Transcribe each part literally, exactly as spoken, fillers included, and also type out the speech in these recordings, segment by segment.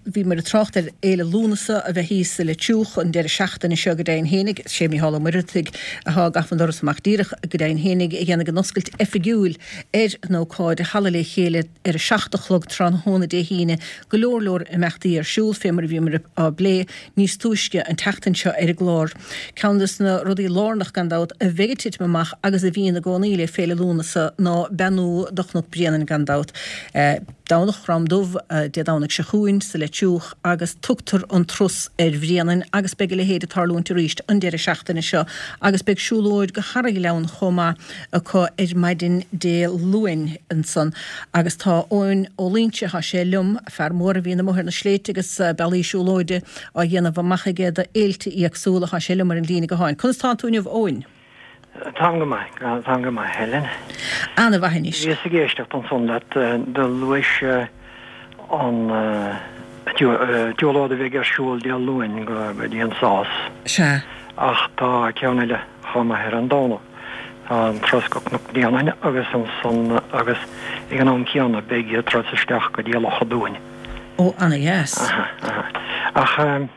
Bhíomar ag trácht ar Fhéile Lúnasa a bheith thíos sa Leitriúch an deireadh seachtaine seo go deimhin fhéinig. Sé Mícheál Ó Muircheartaigh atá ag gabháil an doras amach díreach go deimhin fhéinig a dhéanfaidh an oscailt oifigiúil ar an ócáid i Halla Le Chéile ar a seacht a chlog tráthnóna Dé hAoine. Go leor leor imeachtaí ar siúl fé mar a bhíomar á bplé níos túisce an tseachtain seo ar an gclár. Ceann des na rudaí lárnach gan dabht a bheidh ag titim amach agus a bhíonn i gcónaí le Féile Lúnasa ná beannú do Chnoc Bréanainn gan dabht. Domhnach Chrom Dubh, Dé Domhnaigh seo chugainn, sa Leitriúch agus tugtar an turas ar Bhréanainn agus beidh a leithéid ag tarlúint arís an deireadh seachtaine seo agus beidh siúlóid go hEarra-Ghleann chomh maith acu ar maidin Dé Luain ansan agus tá Eoin Ó Loingsigh, tá sé liom, fear mór a bhíonn amuigh ar na sléibhte agus bealaí siúlóide á dhéanamh amach aige do fhéilte éagsúla, tá sé liom ar an líne gutháin. Conas tánn tú inniu Eoin? Táim go maith, táim go maith, Helen. Ana-mhaith anois. Bhíos ag éisteacht ansan leat, do luais an tsiúlóid a bheidh ar siúl Dé Luain go dtí an Sás. Sea. Ach tá ceann eile chomh maith ar an Domhnach. Tá an turas go Cnoc Bréanainn agus ansan agus ag an am céanna beidh turas isteach go dtí Loch an Dúin. Ó, ana-dheas. Aha, aha. Ach.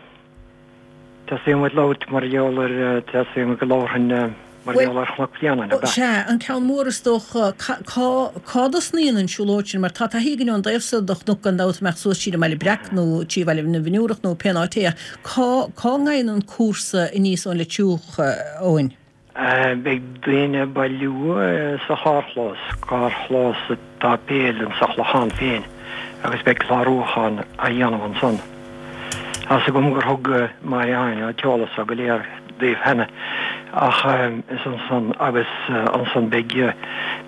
Teastaíonn uait labhairt mar gheall ar, teastaíonn uait go labharfainn mar gheall ar Chnoc Bréanainn, ab ea? Sea, an ceann mór is dócha, cá, cá dtosnaíonn an siúlóid sin? Mar tá taithí againn ón dtaobh so de chnoc gan dabht, amach suas tríd an mBaile Breac nó trí Bhaile na bhFionnúrach nó pén áit é ach cá, cá ngabhann an cúrsa aníos ón Leitriúch, Eoin? Beidh daoine ag bailiú sa charrchlós, carrchlós an tséipéil insa Chlochán féin agus beidh clárúchán á dhéanamh ansan. Tá's agam gur thug Máire Áine an t-eolas so go léir daoibh cheana ach is ansan agus ansan beidh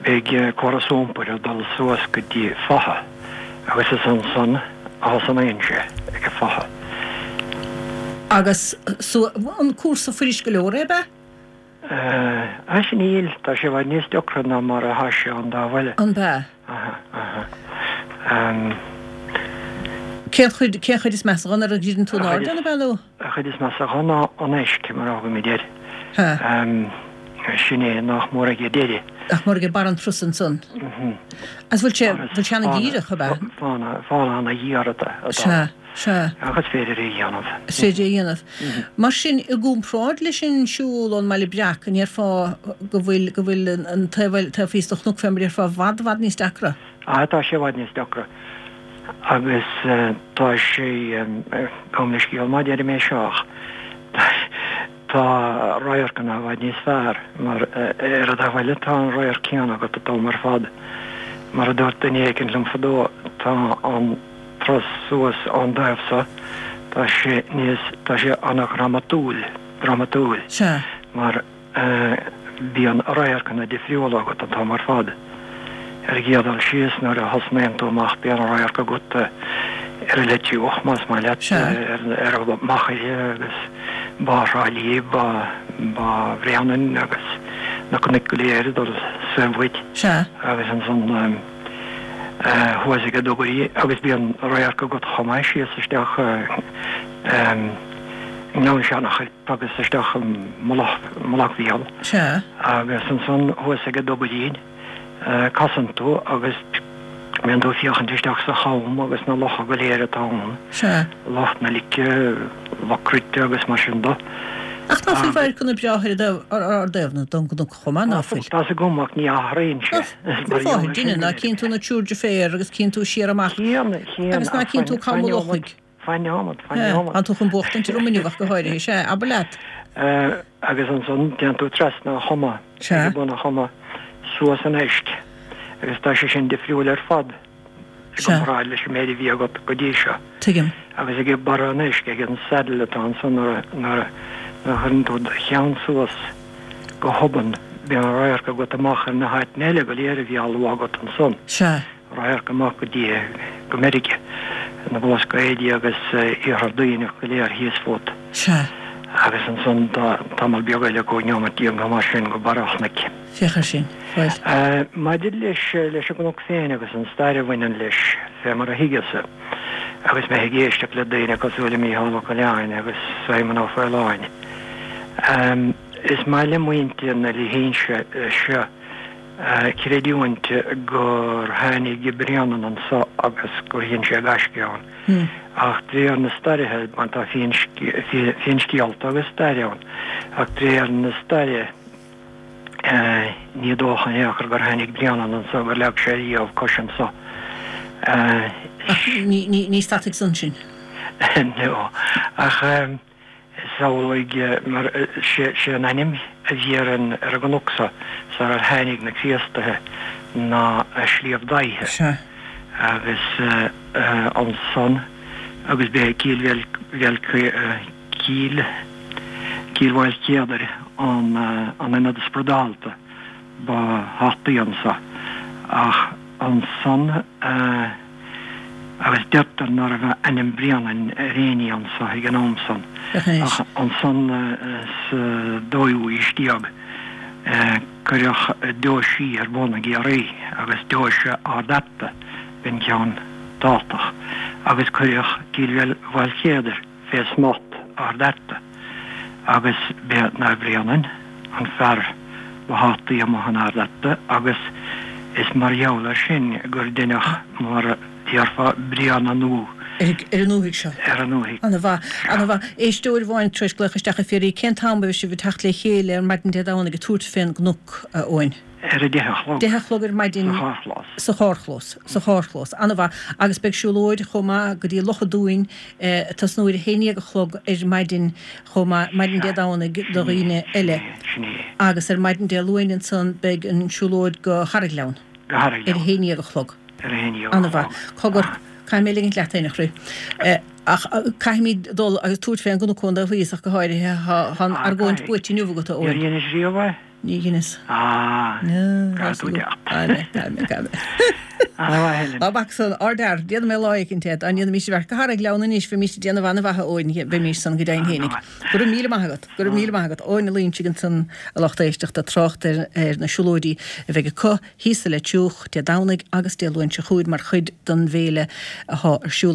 beidh córas iompair ag dul suas go dtí Fotha agus is ansan a thosnaíonn sé ag an Fotha. Agus an cúrsa fuirist go leor é, ab ea? Sea níl, tá sé i bhfad níos deacra ná mar atá sé ón dtaobh eile. An b'ea? Aha, aha. Cén chuid, cén chuid is measa dho nuair a dhruideann tú in airde ann, ab ea nó? An chuid is measa dho ná an eisc, mar a thugaimid air. Sin é, nach mór ag an deireadh. Nach mór ag barr an turais ansan. Agus bhfuil sé, bhfuil sé ana-dhíreach, ab ea? Fána, fána ana-ghéar atá. Sea. Sea. Ach is féidir é a dhéanamh. Is féidir é a dhéanamh. Mar sin, i gcomparáid leis an siúl ón mBaile Breac, an ndéarfá go bhfuil, go bhfuil an taobh eile, taobh thíos de chnoc fé mar a déarfá, i bhfad, i bhfad níos deacra? Ah, tá sé i bhfad níos deacra. Agus tá sé, gabh mo leithscéal má deirim é seo ach tá radharcanna i bhfad níos fearr mar ar an dtaobh eile tá an radharc céanna agat an t-am ar fad. Mar a dúirt duine éicint liom fadó, tá an. turas suas ón dtaobh so, tá sé níos, tá sé ana-dhramatúil, drámatúil, Sea. mar bíonn radharcanna difriúla agat an t-am ar fad. Ar an gcéad dul síos, nuair a thosnaíonn tú amach bíonn radharc agat ar an Leitriúch, más maith leat, Sea. ar an Machaire agus Bá Thrá Lí, Bá, Bá Bhréanainn agus na cnoic go léir ag dul soir uait. Sea. Agus ansan. thuas ag an Dubairí agus bíonn radharc agat chomh maith síos isteach i nGleann Seanachoilp agus isteach i Mullach, Mullach Mhíl. Sea. Agus ansan thuas ag an Dubairín casann tú agus bíonn tú ag féachaint isteach sa cham agus na locha go léir atá ann. Sea. Loch na Lice, Loch Cruite agus mar sin de. Ach ná fuil radharcanna breátha ar an dtaobh, ar dtaobh na den gcnoc chomh maith, ná fuil? Tá's agam ach ní athraíonn sé. Cén fáth ar deineadh? Ná cíonn tú na triúr deirféar agus cíonn tú siar amach Chíonn, chíonn, agus ná cíonn tú Cam an Lochaigh. Fan neomat, fan neomat. Tá tú chun buachtaint orm inniu ach go háirithe, sea, abair leat. Agus ansan téann tú trasna an choma, ag bun an choma, suas an eisc agus tá sé sin difriúil ar fad. i gcomparáid leis an méid a bhí agat go dtí seo. Tuigim. Agus ag barra an eisc, ag an saddle atá ansan nuair a chuireann tú do cheann suas go hobann, bíonn radharc agat amach ar na háiteanna eile go léir a bhí á lua agat ansan. Sea. Radharc amach go dtí, go Meiriceá, na Blascaoidí agus Iarthar Duibhneach go léir thíos fút. Sea. Agus ansan tá tamall beag eile, cúig neomat déag nó mar sin, go barra an chnoic. Féach air sin. Bhuel. Maidir leis leis an gcnoc féin agus an stair a bhaineann leis, fé mar a thuigeas-sa, agus mé ag éisteacht le daoine cosúil le Mícheál Ó Coileáin agus Simon Ó Faoláin, is maith le muintir na dlínse seo creidiúint gur tháinig Bréanainn anso agus gur dhein sé gaisce ann. Ach de réir na stairithe, mar tá finscéalta agus stair ann, ach de réir na staire ní dócha in aon chor gur tháinig Bréanainn anso, gur leag sé riamh cos anso. Ach ní stadfaidh san sin. No. Ach is amhlaidh mar sé an ainm a bhí ar an ar an gcnoc so sarar tháinig na Críostaithe ná Sliabh Daighthe. Sea. Agus ansan agus b'é Cill Bhéal Cill Cill Mhaoilchéadair an an ionad spradálta ba thábhachtaí anso. Ach ansan agus deirtear ná raibh ainm Bréanainn ar éinní anso ag an am san. Ach ansan sa dóú aois déag cuireadh deoisí ar bun i gCiarraí agus deoise Ard Fhearta b'in ceann tábhachtach agus cuireadh Cill Mhaoilchéadair fé smacht Ard Fhearta agus b'é Naomh Bréanainn an fear ba thábhachtaí amuigh in Ard Fhearta agus is mar gheall air sin gur deineadh mar a déarfá Bréanannú Ar an ndúthaigh seo. Ar an ndúthaigh. Ana mhaith. Ana mhaith. Éisteoir amháin tar éis glaoch isteach ag fiafraí cén t-am a bheidh sibh ag teacht le chéile ar maidin Dé Domhnaigh ag tabhairt fén gcnoc, a Eoin? Ar a deich a chlog. Deich a chlog ar maidin. Sa charrchlós. Sa charrchlós. Sa charrchlós. Ana mhaith. Agus beidh siúlóid chomh maith go dtí Loch an Dúin ag tosnú ar a haon déag a chlog ar maidin chomh maith, maidin Dé Domhnaigh do dhaoine eile. Sin é. Agus ar maidin Dé Luain ansan beidh an siúlóid go Carraiggleann. Go Carraiggleann. Ar a haon déag a chlog. Ar a haon déag a chlog. Ana mhaith. Cogar, caithfidh mé ligint leat, a chroí. Ach caithfimid dul agus tabhairt fén gcnoc ón dtaobh thíos ach go háirithe. Tá an argóint buaite inniu agat, a Eoin. Níor dheinis riamh é? Ní dheineas. Ah, caithfidh tú teacht. Caithfidh mé, caithfidh mé. Ana mhaith, Helen. Ná bac san, ardfhear, déanfaidh mé lá éicint é, dá ndéanfaimis i bhfear go Carraiggleann anois, bheimís ag déanamh ana-mhaith, a Eoin, bheimís san go deimhin fhéinig. Go raibh míle maith agat, go raibh míle maith agat. Eoin Ó Loingsigh ansan, a lucht éisteachta, ag trácht ar ar na siúlóidí a bheidh acu thíos sa Leitriúch Dé Domhnaigh agus Dé Luain seo chugainn mar chuid den bhféile athá ar siúl acu.